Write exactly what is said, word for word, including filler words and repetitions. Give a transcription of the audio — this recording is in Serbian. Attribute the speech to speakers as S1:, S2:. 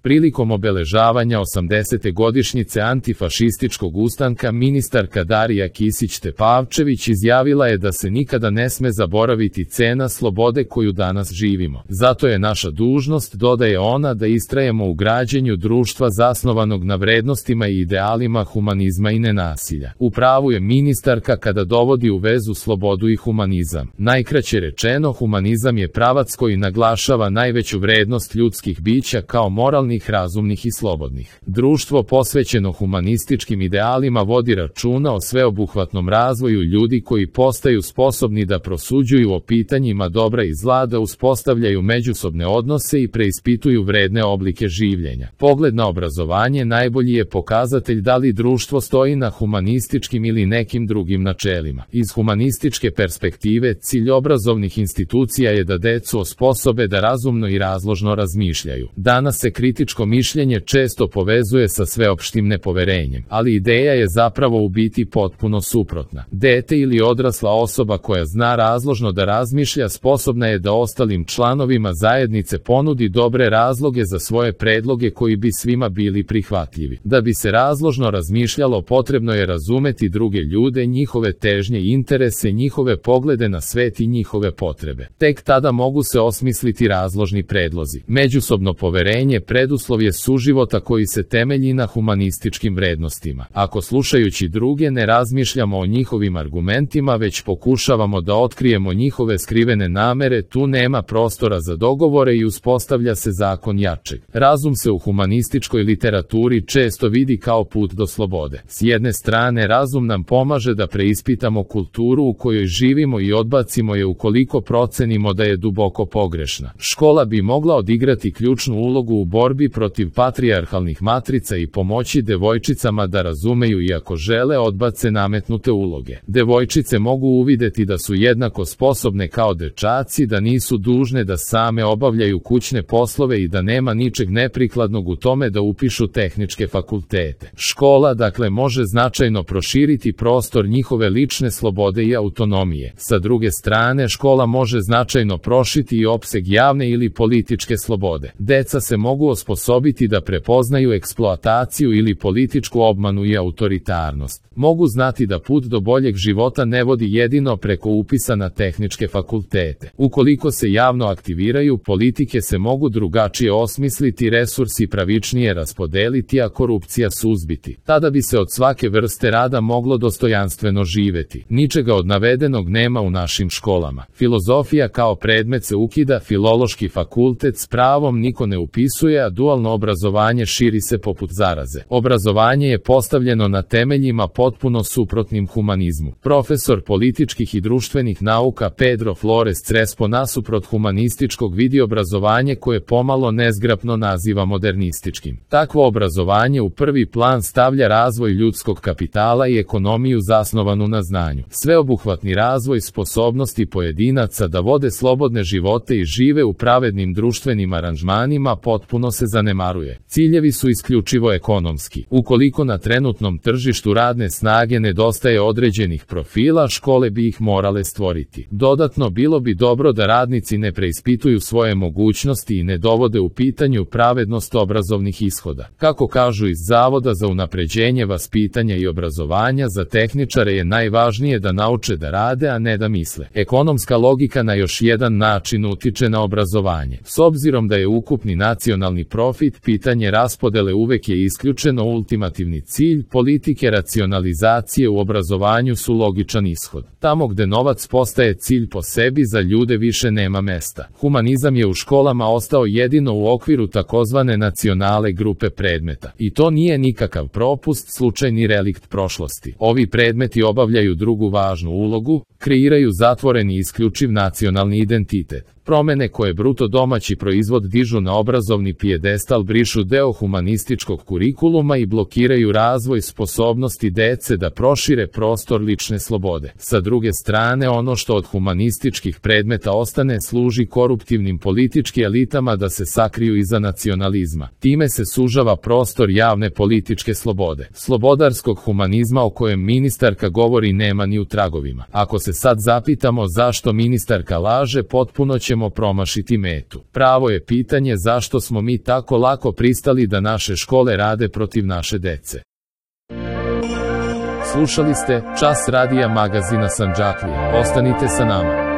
S1: Prilikom obeležavanja osamdesete godišnjice antifašističkog ustanka ministarka Darija Kisić-Tepavčević izjavila je da se nikada ne sme zaboraviti cena slobode koju danas živimo. Zato je naša dužnost, dodaje ona, da istrajemo u građenju društva zasnovanog na vrednostima i idealima humanizma i nenasilja. U pravu je ministarka kada dovodi u vezu slobodu i humanizam. Najkraće rečeno, humanizam je pravac koji naglašava najveću vrednost ljudskih bića kao moralnih, razumnih i slobodnih. Društvo posvećeno humanističkim idealima vodi računa o sveobuhvatnom razvoju ljudi koji postaju sposobni da prosuđuju o pitanjima dobra i zla, da uspostavljaju međusobne odnose i preispituju vredne oblike življenja. Pogled na obrazovanje najbolji je pokazatelj da li društvo stoji na humanističkim ili nekim drugim načelima. Iz humanističke perspektive, cilj obrazovnih institucija je da decu osposobe da razumno i razložno razmišljaju. Danas se kritičko mišljenje često povezuje sa sveopštim nepoverenjem, ali ideja je zapravo u biti potpuno suprotna. Dete ili odrasla osoba koja zna razložno da razmišlja sposobna je da ostalim članovima zajednice ponudi dobre razloge za svoje predloge koji bi svima bili prihvatljivi. Da bi se razložno razmišljalo, potrebno je razumeti druge ljude, njihove težnje i interese, njihove poglede na svet i njihove potrebe. Tek tada mogu se osmisliti razložni predlozi. Međusobno poverenje preduslov je suživota koji se temelji na humanističkim vrednostima. Ako slušajući druge ne razmišljamo o njihovim argumentima, već pokušavamo da otkrijemo njihove skrivene namere, tu nema prostora za dogovore i uspostavlja se zakon jačeg. Razum se u humanističkoj literaturi često vidi kao put do slobode. S jedne strane, razum nam pomaže da preispitamo kulturu u kojoj živimo i odbacimo je ukoliko procenimo da je duboko pogrešna. Škola bi mogla odigrati ključnu ulogu u borbi protiv patrijarhalnih matrica i pomoći devojčicama da razumeju i ako žele odbace nametnute uloge. Devojčice mogu uvideti da su jednako sposobne kao dečaci, da nisu dužne da same obavljaju kućne poslove i da nema ničeg neprikladnog u tome da upišu tehničke fakultete. Škola, dakle, može značajno proširiti prostor njihove lične slobode i autonomije. Sa druge strane, škola može značajno prošiti i opseg javne ili političke slobode. Deca se mogu osposobiti da prepoznaju eksploataciju ili političku obmanu i autoritarnost. Mogu znati da put do boljeg života ne vodi jedino preko upisa na tehničke fakultete. Ukoliko se javno aktiviraju, politike se mogu drugačije osmisliti, resursi pravičnije raspodeliti, a korupcija suzbiti. Tada bi se od svake vrste rada moglo dostojanstveno živeti. Ničega od navedenog nema u našim školama. Filozofija kao predmet se ukida, filološki fakultet s pravom niko ne upisuje, a dualno obrazovanje širi se poput zaraze. Obrazovanje je postavljeno na temeljima potpuno suprotnim humanizmu. Profesor političkih i društvenih nauka Pedro Flores Crespo nasuprot humanističkog vidi obrazovanje koje pomalo nezgrapno naziva modernističkim. Takvo obrazovanje u prvi plan stavlja razvoj ljudskog kapitala i ekonomiju zasnovanu na znanju. Sveobuhvatni razvoj sposobnosti pojedinaca da vode slobodne živote i žive u pravednim društvenim aranžmanima potpuno se zanemaruje. Ciljevi su isključivo ekonomski. Ukoliko na trenutnom tržištu radne snage nedostaje određenih profila, škole bi ih morale stvoriti. Dodatno, bilo bi dobro da radnici ne preispituju svoje mogućnosti i ne dovode u pitanju pravednost obrazovnih ishoda. Kako kažu iz Zavoda za unapređenje vaspitanja i obrazovanja, za tehničare je najvažnije da nauče da rade, a ne da misle. Ekonomska logika na još jedan način utiče na obrazovanje. S obzirom da je ukupni nacionalni profit, pitanje raspodele uvek je isključeno. Ultimativni cilj politike racionalizacije u obrazovanju su logičan ishod. Tamo gde novac postaje cilj po sebi, za ljude više nema mesta. Humanizam je u školama ostao jedino u okviru takozvane nacionale grupe predmeta. I to nije nikakav propust, slučajni relikt prošlosti. Ovi predmeti obavljaju drugu važnu ulogu, kreiraju zatvoreni isključiv nacionalni identitet. Promene koje bruto domaći proizvod dižu na obrazovni pijedestal brišu deo humanističkog kurikuluma i blokiraju razvoj sposobnosti dece da prošire prostor lične slobode. Sa druge strane, ono što od humanističkih predmeta ostane služi koruptivnim političkim elitama da se sakriju iza nacionalizma. Time se sužava prostor javne političke slobode. Slobodarskog humanizma o kojem ministarka govori nema ni u tragovima. Ako se se sad zapitamo zašto ministarka laže, potpuno ćemo promašiti metu. Pravo je pitanje zašto smo mi tako lako pristali da naše škole rade protiv naše dece. Slušali ste Čas radija magazina Sandžaklija. Ostanite sa nama.